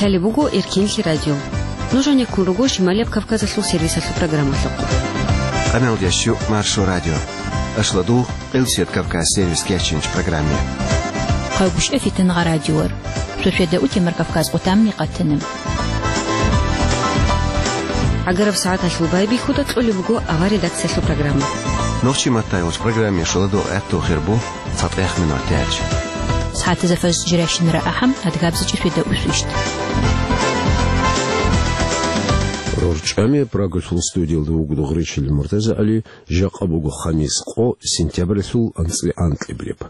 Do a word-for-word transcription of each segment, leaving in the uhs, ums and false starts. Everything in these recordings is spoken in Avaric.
Лъалеб буго Эркенлъи радио. Нуж гьанеккун руго Шималияб Кавказалъул сервисалъул программалъухъ. Къамелдеш чу Маршо радио. Ашладу Къилсият Кавказ сервис кечинч программе. Хъайгуща фитангъа радиор. Суседа утемар Кавказ къутамни къатана. Агараб сагӀаталъул байбихьуда кьолеб буго авар редакциялъул программа. Нохчи матайулч программе шоладо гӀатту хирбу. ЦатӀехъ минутач. СагӀатазда фажр жиращинара ахӀам, адгабзичӀи феда усвищ. РорчӀами Прагалъул студиялда вуго Гъречил МуртазагӀали, жакъа буго хамис къо, сентябралъул анцӀила анкьиблеб.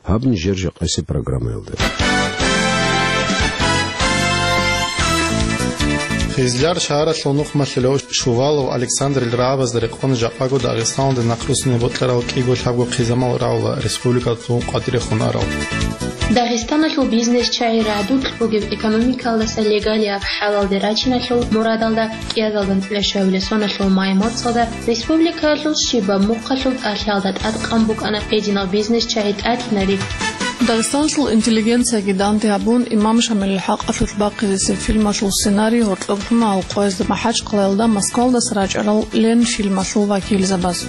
Гьаб нижер жакъасеб программаялда. Хизляр шагьаралъул нухмалъулев Шувалов Александрил рагӀабазда рекъон жакъаго Дагъистаналде нахъруссине бокьарал кӀиго лъабго хъизамал рагӀула республикалъул къватӀирехун арал. Дагъистаналъул бизнес-чагӀи рагӀдулъ бугеб экономикалдаса легалияб хӀалалде рачиналъул мурадалда кӀиазалда анцӀила щуабилеб соналъул май моцӀалда республикалъул щибаб мухъалъул тӀалъиялда тӀадкъан букӀана гьединал бизнес-чагӀи тӀатлъинари. Дагъистаналъул интеллигенцияги данде гьабун, Имам Шамилил хӀакъалъулъ бахъизесеб фильмалъул сценарий гьоркьоб лъуна гьал къоязда МахӀачкъалаялда Москвалдаса рачӀарал Ленфильмалъул вакилзабаз.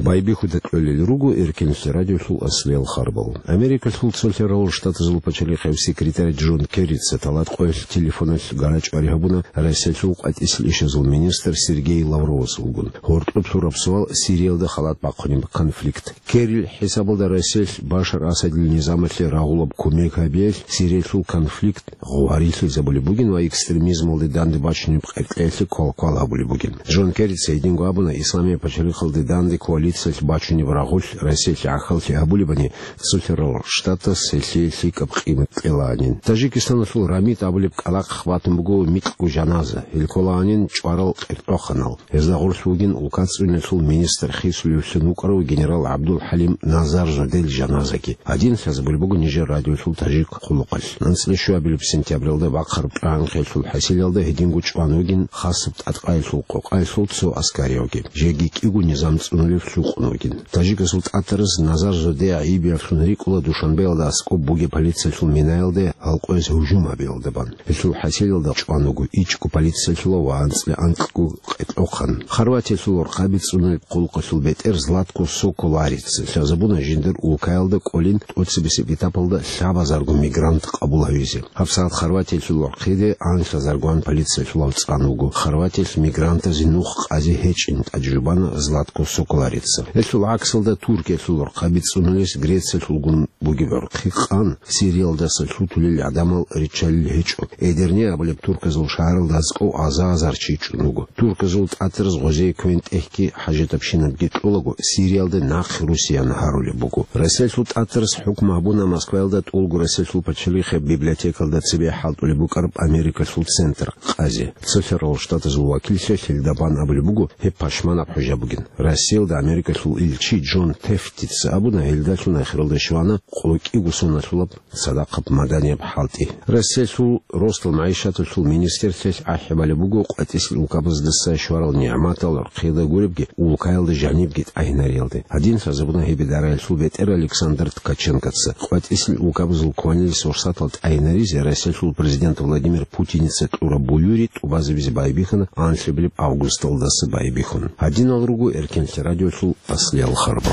Байбихьуда кьолел руго Эркенлъи радиолъул аслиял харбал. Америкалъул Цолъарал Штатазул пачалихъав секретарь Джон Керрица талат къоялъ телефоналъ гарачӀвари гьабуна Россиялъул къватӀисел ишазул министр Сергей Лавровасулгун. Гьоркьоб лъураб суал Сириялда халат бахъунеб конфликт. Керрил хӀисабалда Россиялъ Башар Асадил низамалъе рагъулаб кумек гьабиялъ Сириялъул конфликт гъварилъизабулеб бугин ва экстремизмалде данде бачунеб къеркьеялъе квалквал гьабулеб бугин. Джон Керрица гьединго абуна, Исламияб пачалихъалде данде коалициялъ бачунеб рагъулъ Россиялъе гӀахьаллъи гьабулебани, Цолъарал Штатас гьелъие лъикӀаб къимат кьелаанин. Таджикистаналъул РАМИТ абулеб кӀалахъ батун буго микьго жаназа, гьел кколаанин чӀварал къеркьоханал. Гьезда гъорлъ вугин улкацӀцӀуниялъул министр хисулевлъун вукӀарав генерал ГӀабдул-ХӀалим Назарзодел жаназаги. Гьадин лъазабулеб буго нижер радиолъул таджик хъулухъалъ. АнцӀила щуабилеб сентябралда бахъараб тӀагӀинхъиялъул хӀасилалда гьединго чӀван вугин хасаб тӀадкъаялъул къокъаялъул цо аскариявги. Жеги кӀиго низам цӀунулев лъукъун вугин. Таджикасул тӀатараз Назарзоде гӀайибиявлъун рикӀкӀула Душанбеялда аскӀоб бугеб полициялъул минаялде гьал къояз гьужум гьабиялда бан. Гьелъул хӀасилалда чӀван вуго ичӀго полициялъулав ва анцӀила анкьго къеркьохъан. Хорватиялъул рахъаби цӀунулеб хъулухъалъул бетӀер Златко Соколарица лъазабуна жиндир улкаялда кӀолин тӀоцебесеб этапалда лъабазарго мигрант къабул гьавизе. ГьабсагӀат Хорватиялъул рахъиде анлъазаргоан полициялъулав цӀан вуго. Хорватиялъ мигрантазе нух къазе гьечӀин тӀаде жубана Златко Соколарица. Гьелъул гӀаксалда Туркиялъул рахъаби цӀунулес Грециялъулгун бугеб гӀурхъи къан, Сириялдаса лъутулел гӀадамал риччалил гьечӀо. Эдирне абулеб турказул шагьаралда аскӀов аза-азар чи чӀун вуго. Турказул тӀатараз гъозие квен-тӀехьги хӀажатабщинабги кьолаго, Сириялде нахъе Русиян гьарулеб буго. Россиялъул тӀатараз хӀукму гьабуна Москваялда тӀолго Россиялъул пачалихъе библиотекалда цебе хӀалтӀулеб букӀараб Америкалъул центр къазе. Цолъарал Штатазул вакиллъи гьелда бан абулеб буго, гьеб пашманаб хӀужа бугин. Россиялда Америкалъул илчи Джон Тефтица абуна, гьелдалъун ахиралда щвана къо кӀиго соналъулаб цадахъаб маданияб хӀалтӀи. Россиялъул росдал магӀишаталъул министрлъиялъ ахӀи балеб буго къватӀисел улкабаздаса щварал нигӀматал рахъида гуребги, улкаялда жанибги тӀагьинариялде. Гьадин лъазабуна гьеб идараялъул бетӀер Александр Ткаченкоца. КъватӀисел улкабазул кванилис фурсатал тӀагьинаризе Россиялъул президент Владимир Путиница кьураб буюри тӀубазабизе байбихьана анлъабилеб августалдаса байбихьун. Гьадинал руго Эркенлъи радиолъул аслиял харбал.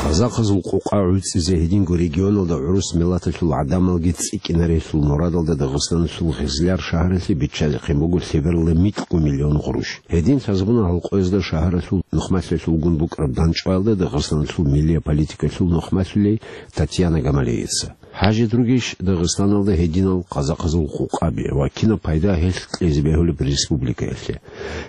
Казахазул къукъа гӀуцӀизе гьединго регионалда гӀурус миллаталъул гӀадамалги цӀикӀкӀинарелъул мурадалда Дагъистаналъул Хизляр шагьаралъе биччазехъин буго лъеберла микьго миллион гъурущ. Гьедин лъазабуна гьалкъоязда шагьаралъул нухмалъулъ угун букӀараб дандчӀваялда Дагъистаналъул миллия политикалъул нухмалъулей Татьяна Гамалеица. ХӀажи, другищ Дагъистаналда гьединал казахазул къукъаби ва кинаб пайда гьелъ кьезе бегьулеб республикаялъе?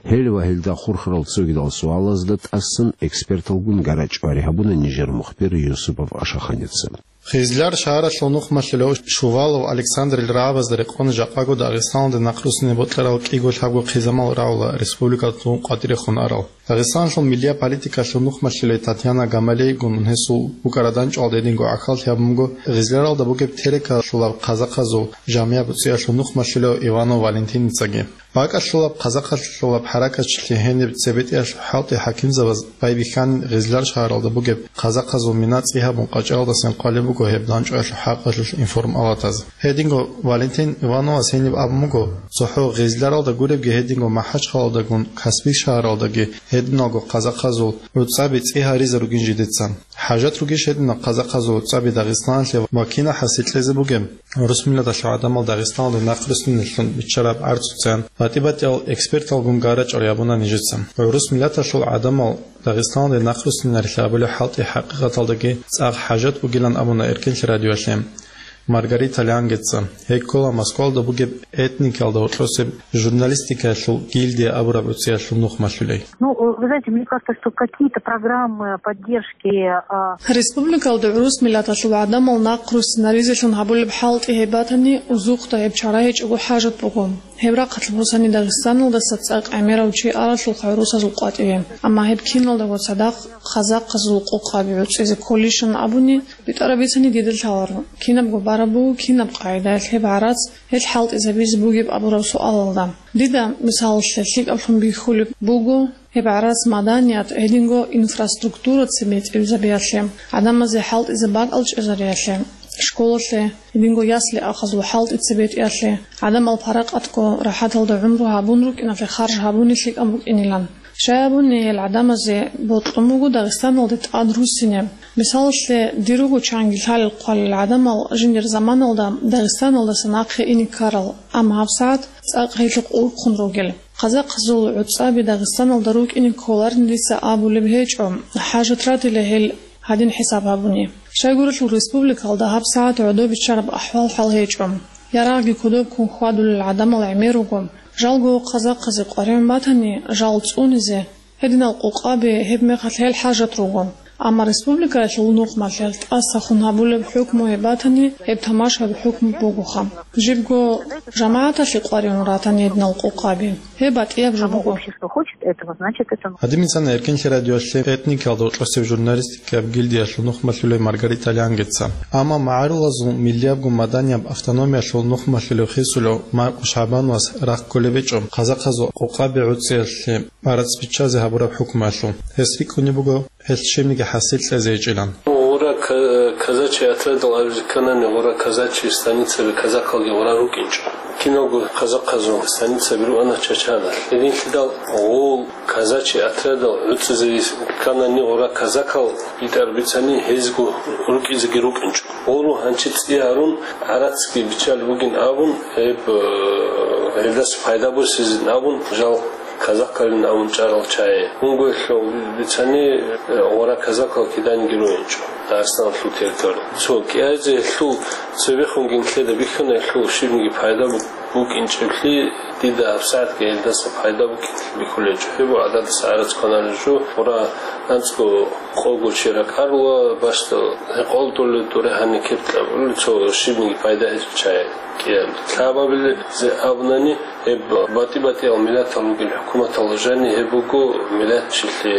Гьел ва гьелда хурхарал цогидал суалазда тӀасан эксперталгун гарачӀвари гьабуна нижер мухбир Юсупов Ашаханица. Хизляр шагьаралъул нухмалъулев Шувалов Александрил рагӀабазда рекъон жакъаго Дагъистаналде нахъруссине бокьарал кӀиго лъабго хъизамал рагӀула республикалъул къватӀирехун арал. Дагъистаналъул миллияб политикалъул нухмалъулей Татьяна Гамалейгун гьесул букӀараданчӀвалда гьединго гӀахьаллъи гьабун буго гъизларалда бугеб Терекалъулаб казахъазул жамигӀаб уцӀиялъул нухмалъулев Иванов Валентиницаги. БакӀалъулаб казахъалъулаб хӀаракатчилъи гьениб цебетӀиялъул хӀалтӀи хӀакимзабаз байбихьанин гъизлар шагьаралда бугеб казахъазул мина цӀи гьабун къачӀалдасин хъвалеб буго гьеб данчӀваялъул хӀакъалъулъ информалатаз. Гьединго Валентин Ивановас гьениб абун буго, цохӀо гъизларалда гуребги гьединго МахӀачхъалалдагун Каспий шагьаралдаги гьединалго казахъазул гӀуцӀаби цӀи гьаризе ругин жидеца. ХӀажат ругищ гьединал казахъазул гӀуцӀаби Дагъистаналъе ва кина хӀасил кьезе бугеб? ГӀурус миллаталъул гӀадамал Дагъистаналде нахъруссинеллъун биччараб гӀарцуцан батӀи-батӀиял эксперталгун гара чӀвар гьабуна нижеца. ГӀурус миллаталъул гӀадамал Дагъистаналде нахъруссинарилъи абулеб хӀалтӀи хӀакъикъаталдаги цӀакъ хӀажат бугилан абуна Эркенлъи радиоялъе Маргарита Лангеца. Гьей ккола Москвалда бугеб этникалда гьоркьосеб журналистикаялъул гильдия абураб гӀуцӀиялъул нухмалъулей. Ну, вы знаете, мне кажется, что какие-то программы поддержки, а, Республикалда гӀурус миллаталъул гӀадамал нахъруссинаризелъун гьабулеб хӀалтӀи гьеб батани, узухъда гьеб чара гьечӀого хӀажат буго. Гьеб рахъалъ босани Дагъистаналдаса цӀакъ гӀемерав чи аралъулха гӀурусазул къватӀиве. Амма гьеб киналдаго цадахъ казахъазул къокъаби гӀуцӀизе кколищан абуни, битӀараб бицани дида лъаларо. Кинабго бараб буго, кинаб къагӀидаялъ гьеб гӀарац гьел хӀалтӀизабизе бугеб абураб суалалда. Дида, мисалалъе, лъикӀаблъун бихьулеб буго, гьеб гӀарац маданият, гьединго инфраструктура цебетӀезабиялъе, гӀадамазе хӀалтӀизе бакӀал чӀезариялъе, школалъе, гьединго ясли-ахазул хӀалтӀи цебетӀиялъе, гӀадамал паракъатго рахӀаталда гӀумру гьабун рукӀиналъе харж гьабуни лъикӀаб букӀинилан. Щай абуни, гьел гӀадамазе бокьун буго Дагъистаналде тӀад руссине. Мисалалъе, дир руго чанги лъалел-хъвалел гӀадамал жиндир заманалда Дагъистаналдаса нахъе ине ккарал, амма гьабсагӀат цӀакъ гьелъухъ урхъун ругел. Казахъазул гӀуцӀаби Дагъистаналда рукӀине кколарин дица абулеб гьечӀо, хӀажат ратила гьел гьадин хӀисаб гьабуни. Щайгурелъул республикалда гьабсагӀат гӀодобиччараб ахӀвал-хӀал гьечӀо. Ярагъги кодоб ккун хьвадулел гӀадамал гӀемер руго. Жалго казахъазе къваригӀун батани, жал цӀунизе, гьединал къокъаби гьеб мехалъ гьел хӀажат руго. Амма республикаялъул нухмалъ гьел тӀасалъун гьабулеб хӀукму гьеб батани, гьеб тамашаб хӀукму бугоха. Жибго жамагӀаталъе къваригӀун ратани гьединал къокъаби, гьеб батӀияб жо буго. Общество хочет этого, значит, это Гьадин бицана Эркенлъи радиоялъе этникалда гьоркьосеб журналистикаб гильдиялъул нухмалъулев Маргарита Лангеца. Амма магӀарулазул миллиябго маданияб автономиялъул нухмалъулев хисулев Маркъу ШагӀбановас рахъ кколеб гьечӀо казахъазул къокъаби гӀуцӀиялъе гӀарац биччазе гьабураб хӀукмуялъул. Гьес рикӀкӀунеб буго гьелъ щибниги хӀасил кьезе гьечӀилан. Гъура ка-, казачий отрядал абизе кканани, гъура казачий станицаби казахалги гъура рукӀинчӀо. Киналго казахъазул станицаби руана Чачаналъ. Гьединлъидал гъул казачий отрядал гӀуцӀизаризе кканани, гъура казакал битӀар бицани гьезго рукӀизеги рукӀинчӀо. Гъуру гьанчи цӀи гьарун, гӀарацги биччалеб бугин абун, гьеб, э, гьелдаса пайда босизин абун, жал казакалин абун чӀарал чагӀи. Унгоялъул бицани, э, гъура казакал киданиги ругьинчӀо Дагъистаналъул территориял. Цо кӀиазе гьелъул цебехунги нилъеда бихьана гьелъул щибниги пайда бу-, букӀинчӀеблъи, дида гьабсагӀатги гьелдаса пайда букӀинлъи бихьулечӀо. Гьеб гӀададаса гӀарац кваналел жо, гъура анцӀго къого чи ракӀарла, бащдал гьекъолдулел дуре гьаниб кепкьабулел цо щибниги пайда гьечӀо чагӀи кӀиаб. Лъабабилеб зе абунани, гьеб батӀи-батӀиял миллатал ругел хӀукуматалда жаниб гьеб буго миллатчилъи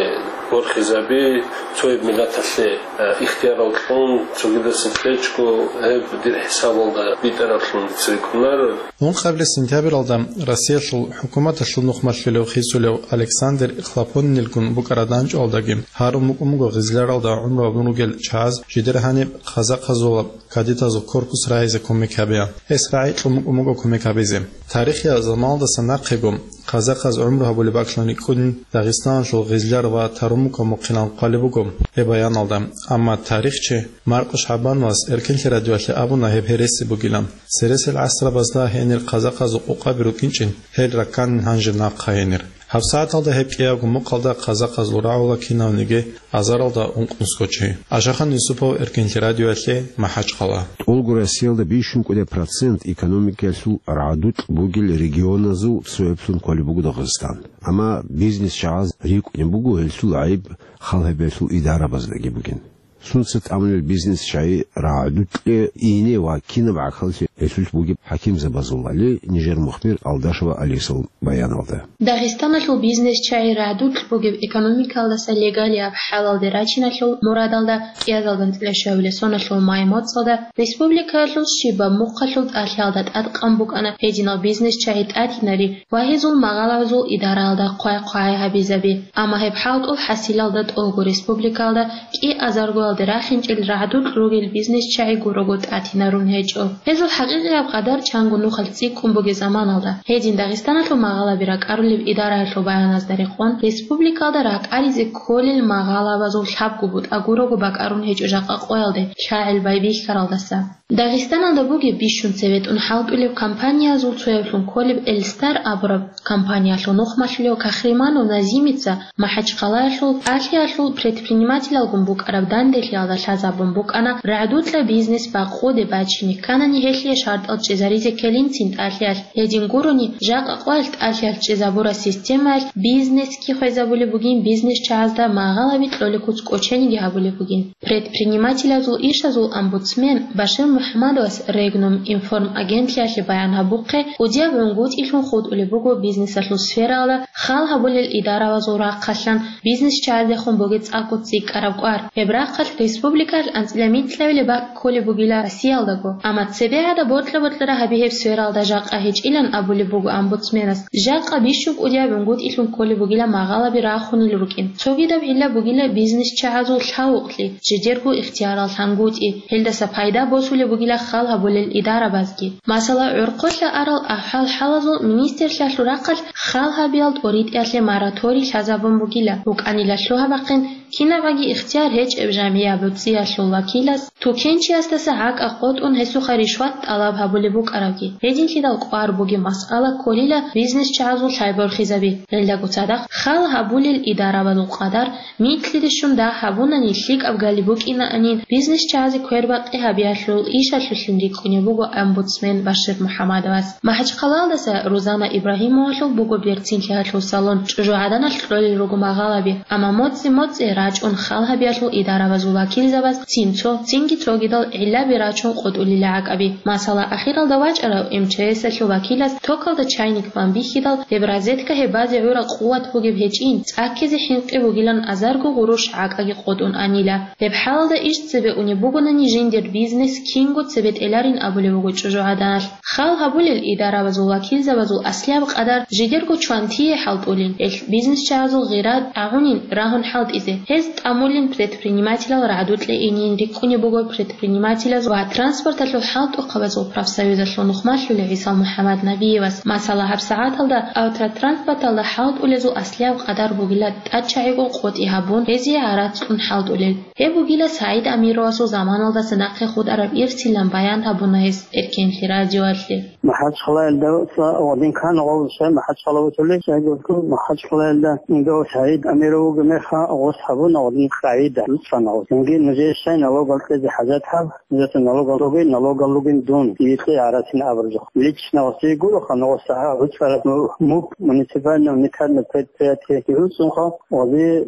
борхизаби, цояб миллаталъе, э, ихтиярал кьун, цогидаса кьечӀго, гьеб дир хӀисабалда битӀараблъун дица рикӀкӀунар. Ункъабилеб сентябралда Россиялъул хӀукуматалъул нухмалъулев хисулев Александр Хлопоннилгун букӀараданчӀвалдаги гьарун букӀун буго гъизларалда гӀумру гьабун ругел чагӀаз жидер гьаниб казахъазулаб кадетазул корпус рагӀизе кумек гьабеян. Гьес рагӀи кьун букӀун буго кумек гьабизе. Тарихияб заманалдаса нахъего казахъаз гӀумру гьабулеб бакӀлъун рикӀкӀунин Дагъистаналъул гъизлар ва Тарумукаб мухъилан хъвалеб буго гьеб баяналда. Амма тарихчи Маркъу ШагӀбановас Эркенлъи радиоялъе абуна гьеб гьереси бугилан. Цересел гӀасрабазда гьенир казахъазул къокъаби рукӀинчӀин, гьел ракканин гьанже нахъа гьенир. ГьабсагӀаталда гьеб кӀиябго мукъалда казахъазул рагӀула кинавниги азаралда ункънусго чи. Ашахан Юсупов, Эркенлъи радиоялъе, МахӀачхъала. ТӀолго Россиялда бищун кӀудияб процент экономикаялъул рагӀдукь бугел регионазул цояблъун кколеб буго Дагъистан. Амма бизнес чагӀаз рикӀкӀунеб буго гьелъул гӀайиб хал гьабиялъул идарабаздаги бугин. Сунца тӀамулел бизнес чагӀи рагӀдукье ине ва кинаб гӀахьаллъи гьелъулъ бугеб хӀакимзабазул, али нижер мухбир Алдашева Алисал баяналда. Дагъистаналъул бизнесчагӀи рагӀдулъ бугеб экономикалдаса легалияб хӀалалде рачиналъул мурадалда кӀиазалда анцӀила щуабилеб соналъул май моцӀалда республикаялъул щибаб мухъалъул тӀалъиялда тӀадкъан букӀана гьединал бизнесчагӀи тӀатинари ва гьезул магъалабазул идараялда хъвай-хъвай гьабизаби. Амма гьеб хӀалтӀул хӀасилалда тӀолго республикаялда кӀиазаргоялде рахинчӀел рагӀдулъ ругел бизнесчагӀи гурого тӀатинарун гьечӀо. Гьезул хӀакъикъияб къадар чанго нухалъ цӀикӀкӀун бугеб заманалда, гьедин Дагъистаналъул магъалаби ракӀарулеб идараялъул баяназда рекъон, республикаялда ракӀаризе кколел магъалабазул лъабго бутӀа гурого бакӀарун гьечӀо жакъа къоялде лъагӀел байбихьаралдаса. Дагъистаналда бугеб бищун цебетӀун хӀалтӀулеб компаниязул цояблъун кколеб Эльстар абураб компаниялъул нухмалъулев Кахриманов Назимица МахӀачхъалаялъул тӀалъиялъул предпринимателалгун букӀараб данделъиялда лъазабун букӀана, рагӀдукьа бизнес бакъоде бачине кканани гьелъие шартӀал чӀезаризе ккелинцин тӀалъиялъ. Гьедин гурони, жакъа къоялъ тӀалъиялъ чӀезабураб системаялъ бизнесги хвезабулеб бугин, бизнесчагӀазда магъалаби кьолеб куц кӀочениги гьабулеб бугин. Предпринимателазул ишазул омбудсмен Башир МухӀаммадовас Регнум информ агентлъиялъе баян гьабухъе, кӀудияб гӀунгутӀилъун хутӀулеб буго бизнесалъул сфералда хал гьабулел идаравазул рахъалъан бизнесчагӀаздехун бугеб цӀакъго цӀикӀкӀараб кӀвар. Гьеб рахъалъ республикалъ анцӀила микьабилеб бакӀ кколеб бугила Россиялдаго, амма цебе гӀадаб бокьа-бокьараб гьаби гьеб сфералда жакъа гьечӀилан абулеб буго омбудсменас. Жакъа бищун кӀудияб гӀунгутӀилъун кколеб бугила магъалаби рахунел рукӀин. Цогидаб гӀилла бугила бизнесчагӀазул лъавукълъи, жидерго ихтиярал лъангутӀи, гьелдаса пайда босулеб бугила хал гьабулел идарабазги. Масала, гӀорхъолъа арал ахӀвал-хӀалазул министрлъиялъул рахъалъ хал гьабиял тӀоритӀиялъе мораторий лъазабун бугила, букӀанила лъугьа-бахъин, кинабаги ихтияр гьечӀеб жамгӀияб гӀуцӀиялъул вакилас тукенчиясдаса гӀакӀа къотӀун гьесухъа ришват тӀалаб гьабулеб букӀарабги. Гьединлъидал кӀвар бугеб масъала кколила бизнесчагӀазул лъай борхизаби. Гьелдаго цадахъ хал гьабулел идарабазул къадар микьидешун дагь гьабунани лъикӀаб галиб букӀинаанин бизнесчагӀазе квербакъи гьабиялъул ишалъулъин рикӀкӀунеб буго омбудсмен Башир МухӀаммадовас. МахӀачхъалаялдаса Рузана Ибрагьимовалъул буго берцинлъиялъул салон, чӀужугӀаданалъ кьолел руго магъалаби, амма моцӀи-моцӀи рачӀун хал гьабиялъул идарабазул вакилзабаз цин цо, цинги цогидал гӀиллаби рачун къотӀулила гӀакӀаби. Масала, ахиралда вачӀарав МЧС-алъул вакилас токалда чайник бан бихьидал, гьеб розетка гьеб базе гӀура къуват бугеб гьечӀин, цӀаккизе хӀинкъи бугилан азарго гъурущ гӀакӀаги къотӀун анила. Гьеб хӀалалда иш цебе унеб бугонани жиндир бизнес кинго цебетӀеларин абулеб буго чӀужугӀаданалъ. Хал гьабулел идарабазул вакилзабазул аслияб къадар жидерго чвантие хӀалтӀулин, гьелъ бизнесчагӀазул гъира тӀагӀунин рагьун хӀалтӀизе. Гьез тӀамулин предпринимателал рагӀдукье инин рикӀкӀунеб буго предпринимателаз ва транспорталъул хӀалтӀухъабазул профсоюзалъул нухмалъулев ГӀисал МухӀаммад Набиевас. Масала, гьабсагӀаталда автротранспорталда хӀалтӀулезул аслияб къадар бугила тӀачагӀиго къотӀи гьабун, гьезие гӀарац кьун хӀалтӀулел. Гьеб бугила СагӀид Амировасул заманалдаса нахъе хутӀараб ирсилан баян гьабуна гьес Эркенлъи радиоялъе. МахӀачхъалаялдаса гъодин ккана гъов шай МахӀачхъала вуцулей, шайгурго МахӀачхъалаялда гъов СагӀид Амиров вуго меха гъос гьабуна гъодин къагӀида, луцӀана гъос. Цинги нужее щай налогал кьезе хӀажат гьаб, нужеца налогал ругин, налогал ругин дун, дие кье гӀарасин абуржухъ. Лично гъосие гуроха, гъос гӀуцӀараб муп, муниципальный унитарный предприятие гӀуцӀунха, гъозе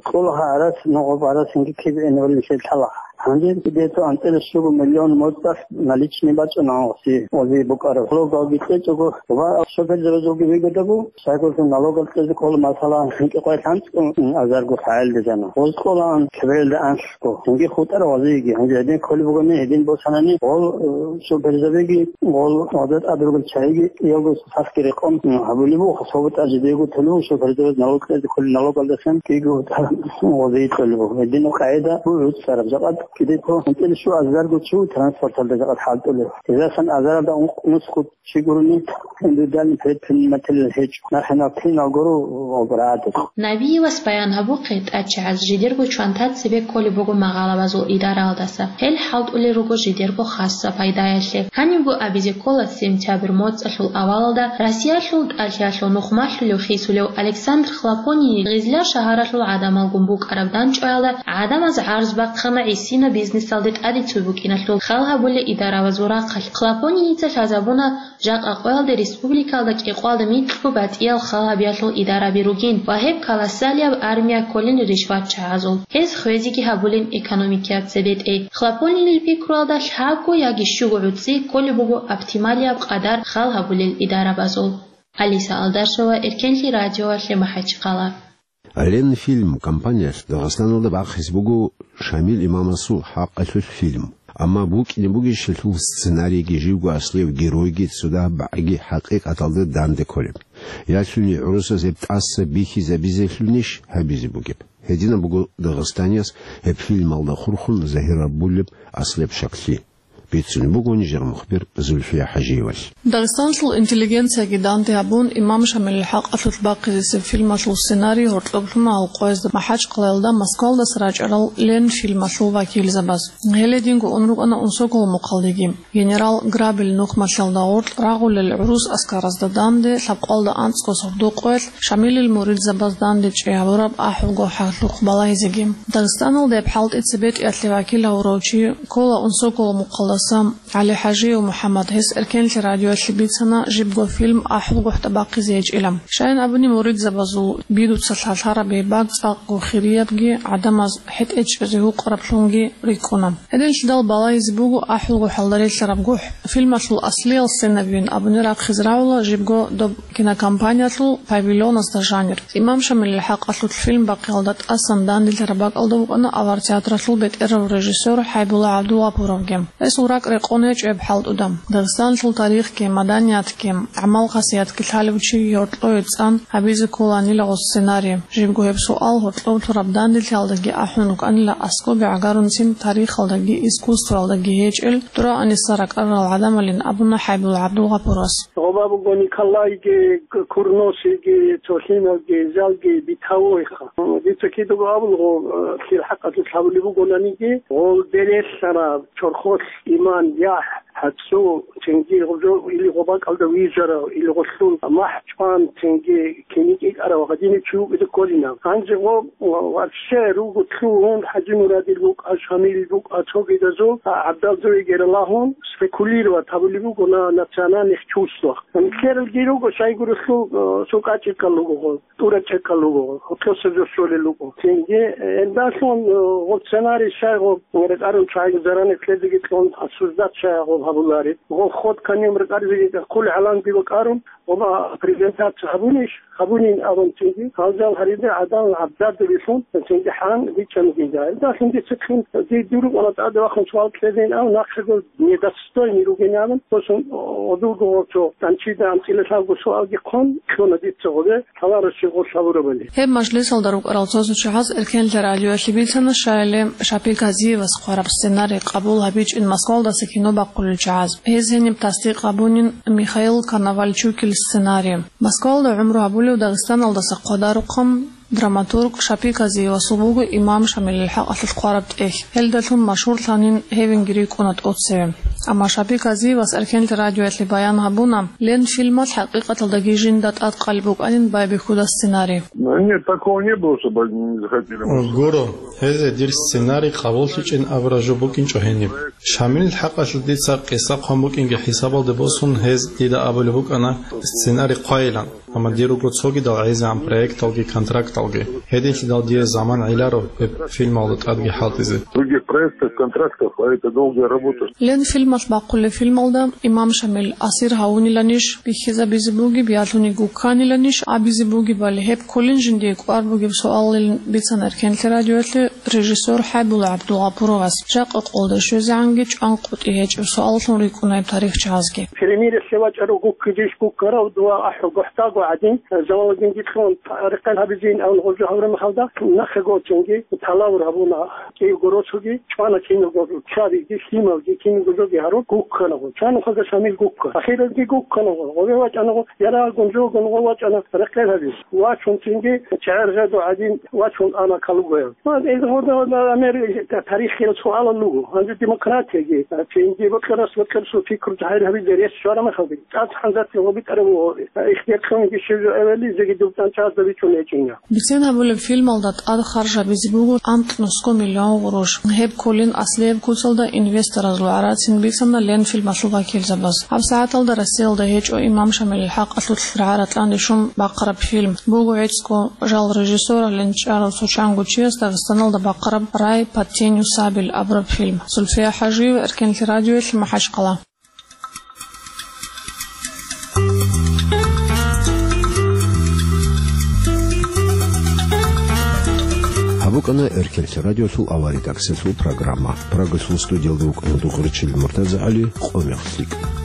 кьола гьарас, ногъоб гӀарасинги кибгӀинавалин лъелъала. Гьанже кӀудияб анцӀила щуго миллион моцӀалъ наличный бачӀана гъоси, гъози букӀараб. Налогалги кьечӀого ва шоферзабазулги вигодаго, сайгулъун налогал кьезе ккола, масала, гьинкьи къвай лъанцӀго азарго фагӀил дезана. Гъоз кколаан кибрелда анлъго. Гьанги хутӀара гъозиги. Гьанже гьедин кколеб бугони, гьедин босанани, гъол, э, шоферзабиги, гъол гъозда тӀад ругел чагӀиги, кӀиялго сасги рекъон, м, гьабулеб буго, хасабу тӀад жидего тулеб буго, шоферзабаз налог кьезе кколеб налогалдасан кӀиго гъози кьолеб буго. Гьединаб къагӀида буго гӀуцӀараб. Жакъа кӀиде ккола, анцӀила щуго азарго чи транспорталда жакъа хӀалтӀулев. Гьезасан азаралда ункъ-, нусго чи гурони, индивидуальный предприниматель гьечӀо. Нахъе нахъ кинал гуро обрагӀадаб. Набиевас баян гьабухъе, тӀачагӀаз жидерго чвантац цебе кколеб буго магъалабазул идаралдаса. Гьел хӀалтӀулел руго жидерго хасса пайдаялъе. Гьанибго абизе ккола, сентябрь моцӀалъул авалалда Россиялъул тӀалъиялъул нухмалъулев хисулев Александр Хлопонин Гъизла шагьаралъул гӀадамалгун букӀараб данчӀваялда гӀадамаз гӀарз бахъана гӀисин бизнесалде тӀадицу букӀиналъул хал гьабулел идарабазул рахъалъ. Хлопонинница лъазабуна, жакъа къоялда республикалда кӀикъоялда микьго батӀиял хал гьабиялъул идараби ругин ва гьеб колоссалияб армия кколин ришватчагӀазул. Гьез хвезеги гьабулин экономикияб цебетӀей. Хлопонинил пикруялда лъабго яги щуго гӀуцӀи кколеб буго оптималияб къадар хал гьабулел идарабазул. Алиса Алдашева, Эркенлъи радиоялъе, МахӀачхъала. Ленфильм компаниялъ Дагъистаналда бахъизе буго Шамил имамасул хӀакъалъулъ фильм. Амма букӀине бугищ гьелъул сценарийги, живго аслияб геройги, цо дагьаб багӀиги хӀакъикъаталда данде кколеб? Ялъуни гӀурусаз гьеб тӀаса бихьизабизелъунищ гьабизе бугеб? Гьединаб буго дагъистанияс гьеб фильмалда хурхун загьир гьабулеб аслияб щаклъи. Бицунеб буго нижер мухбир Зульфия ХӀажиевалъ. Дагъистанлъул интеллигенцияги данде гьабун, Имам Шамилил хӀакъалъулъ бахъизесеб фильмалъул сценарий гьоркьоб лъуна гьал къоязда МахӀачхъалаялда Москвалдаса рачӀарал Ленфильмалъул вакилзабаз. Гьел гьединго ун рукӀана Унсоколмухъалдеги. Генерал Грабиль нухмалъалда гъоркь рагъулел гӀурус аскаразда данде лъабкъоялда анцӀго сордо къоялъ Шамилил муридзабаз данде чӀей гьабураб ахӀулго хӀаллъухъ балагьизеги. Дагъистаналда гьеб хӀалтӀи цебетӀиялъе вакил гьавурав чи ккола Унсоколмухъалдаса ГӀалихӀажиев МухӀаммад, гьес Эркенлъи радиоялъе бицана жибго фильм ахӀулгохӀ тӀабахъизе гьечӀила. Щайин абуни, муридзабазул бидуца лъалъараб гьеб баг цӀакъго хириябги, гӀадамаз хӀетӀе чӀезе гьукъараблъунги рикӀкӀуна. Гьединлъидал балагьизе буго ахӀулгохӀалда релълъараб гохӀ. Фильмалъул аслиял сценабийин абуни рахъизе рагӀула жибго доб кинокомпаниялъул павильоназда жанир. Имам Шамилил хӀакъалъулъ фильм бахъиялда тӀасан данделъараб бакӀалда вукӀана авар театралъул бетӀерав режиссер ХӀайбулла ГӀабдулгъапуровги. Гьесул ракӀ рекъон гьечӀеб хӀалтӀуда. Дагъистанлъул тарихги, маданиятги, гӀамал-хасиятги лъалев чи гьоркьове цӀан гьабизе кколанила гъо сценарий. Жибго гьеб суал гьоркьоб лъураб данделъиялдаги ахӀун рукӀанила аскӀобе гӀагарунцин тарихалдаги искусствоялдаги гьечӀел дураанисса ракӀарал гӀадамалин абуна ХӀайбулла ГӀабдулгъапуровас. Гъоба буго Николайги, Курносиги, цо лъималги, залги битавойха. Дица кидаго абулгъо, лъил хӀакъалъулъ гьабулеб бугонаниги, гъол берелъараб, чорхолъ иман, яхӀ, гьацӀцӀу, цинги гъоб жо-, или гъоб бакӀалда вижарав, или гъолъул махӀ чӀван, цинги кини кӀикӀарав гьадинав чи вукӀида кколинав. Гьанже гъо, вообще, руго лъугьун, ХӀажимурадил букӀа, Шамилил букӀа, цогидазул, а, гӀабдалзавигера лагьун, спекулировать гьабулеб буго на национальных чувствах. Нилъералги руго, щайгурелъул, э, сукъа-чӀикъал руго гъо, тӀура-чӀикъал руго гъо, гьоркьоса жо щолел руго. Цинги, э, гьелдалъун, э, гъоб сценарий щай гъоб, рекъарун чагӀи заранее кьезеги кьун, обсуждать щай гъоб гьабулареб. Гъоб ход конем рекъаризеги кколел гӀаламги бакӀарун, Гъоба презентация гьабунищ? Гьабунин абун цинги, гьалжал гьарида гӀадан гӀабдалда вилълъун, цинги хӀан бичӀчӀана дида. Гьелдалъун дица ккун, ди-, дир рукъана тӀаде вахун суал кьезейин абун, нахъего недостойный ругин абун, босун, о-, одулго гъорцо тӀанчида анцӀила лъабго суалги хъун, кьуна дица гъобе, лъаларав щиб гъолъ гьабурабали. Гьеб мажлисалда рукӀарал цо-цо чагӀаз Эркенлъи радиоялъе бицана, щайиле Шапи Казиевас хъвараб сценарий къабул гьабичӀин Москвалдаса кино бахъулел чагӀаз. Гьез гьениб тасдикъ гьабунин Михаил Коновальчукил сценарий. Москвалда гӀумру гьабулев Дагъистаналдаса хъвадарухъан драматург Шапи Казиевасул буго Имам Шамилил хӀакъалъулъ хъвараб тӀехь. Гьелдалъун машгьурлъанин гьевинги рикӀкӀуна тӀоцеве. Амма Шапи Казиевас Эркенлъи радиоялъе баян гьабуна, Ленфильмалъ хӀакъикъаталдаги жинда тӀадкъалеб букӀанин байбихьуда сценарий. Ну, нет, такого не было, чтобы они не захотели. Гуро, гьезие дир сценарий къабуллъичӀин абураб жо букӀинчӀо гьениб. Шамилил хӀакъалъулъ дица къиса хъван букӀинги хӀисабалде босун, гьез дида абулеб букӀана сценарий хъвайилан. Амма дир руго цогидал гӀезегӀан проекталги контракталги. Гьединлъидал дие заман гӀеларо гьеб фильмалда тӀадги хӀалтӀизе. Других проектов, контрактов, а это долгая работа. Ленфильмалъ бахъулеб фильмалда Имам Шамил асир гьавуниланищ, бихьизабизе бугеб, ялъуни гукканиланищ абизе бугебали, гьеб кколин жиндие кӀвар бугеб суаллъилин бицана Эркенлъи радиоялъе режиссер ХӀайбулла ГӀабдулгъапуровас. Жакъа къолда щвезегӀанги чӀван къотӀи гьечӀеб суаллъун рикӀкӀуна гьеб тарихчагӀазги. Перемирие вачӀарав гуккидеш гуккарав дова ахӀу гохӀдаго гӀадин, Жамалудинги кьун, рекъел гьабизин абун гъожо гьавра мехалда, нахъего цинги талавур гьабуна кӀиего росуги, чӀвана киналго чабиги, лъималги, киналго жоги гьарун гукканаго. Чанухъазда Шамил гукка. Ахиралги гукканаго. Гъове вачӀанаго, ярагъун жогун гъов вачӀана рекъел гьабиз. Вачун цинги чагӀер гъедо гӀадин вачун ана калугояв. Ва гьез гъода-гъода амер тарихиял суалал луго. Гьанже демократияги, цинги бокьарас бокьарасул пикру жагьир гьабизе Щвараб мехалда, цӀакъ хӀанзарти гъоби тӀараб буго, ихтияр кьуниги щиб жо эвели, жеги дубтӀан чагӀазда бичун гьечӀин я. Бицен гьабулеб фильмалда тӀад харжабизе буго тӀамтӀ нусго миллион гъурущ. Гьеб кколин аслияб куцалда инвестораз лугӀарацин бицана Ленфильмалъул вакилзабаз. ГьабсагӀаталда Россиялда гьечӀо имам Шамилил хӀакъалъулъ рагӀа-ратӀлъан рищун бахъараб фильм. Буго гӀицӀго жал режиссералъ чӀарав цо чанго чияс Дагъистаналда бахъараб «Рай под тенью сабель» абураб фильм. Зульфия ХӀажиева, Эркенлъи радиоялъ, МахӀачхъала. Гьаб букӀана Эркенлъи радиолъул авария тӀакӀсалъул программа. Прагасул студиялда вукӀана Дугъричил МуртазагӀали, къо мехалъ.